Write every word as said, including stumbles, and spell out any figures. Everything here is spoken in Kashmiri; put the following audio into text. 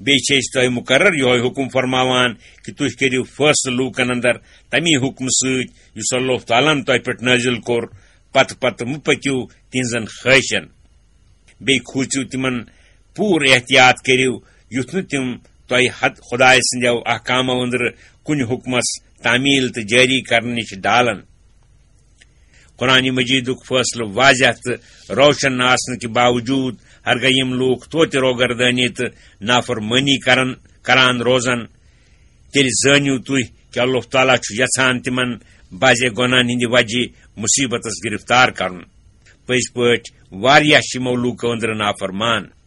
بیٚیہِ چھِ أسۍ تۄہہِ مُقرر یِہوٚے حُکُم فرماوان کہِ تُہۍ کٔرِو فٲصلہٕ لوٗکن اندر تَمی حُکمہٕ سۭتۍ یُس اللہ تعالیٰ ہن تۄہہِ پٮ۪ٹھ نٲزِل کوٚر، پتہٕ پتہٕ مہٕ پٔکِو تِہنٛزن خٲہِشن۔ بیٚیہِ کھوٗژِو تِمن، پوٗرٕ احتیاط کٔرِو، یُتھ نہٕ تِم تۄہہِ حد خۄداے سٕنٛدیو احکامو أنٛدرٕ کُنہِ حُکمس تعمیٖل تہٕ جٲری کرنہٕ نِش ڈالن۔ قرآن مجیدُک فٲصلہٕ واضح تہٕ روشن آسنہٕ کہِ باوجوٗد، ہرگاہ یِم لوٗکھ توتہِ روگردٲنی تہٕ نافرمٲنی کرن، کران روزن، تیٚلہِ زٲنِو تُہۍ کہِ اللہ تعالیٰ چھُ یژھان تِمن بعضے گۄناہن ہٕنٛدِ وجہِ مُصیبتس گرفتار کرُن۔ پٔزۍ پٲٹھۍ واریاہ چھِ یِمو لوٗکو أنٛدرٕ نافرمان۔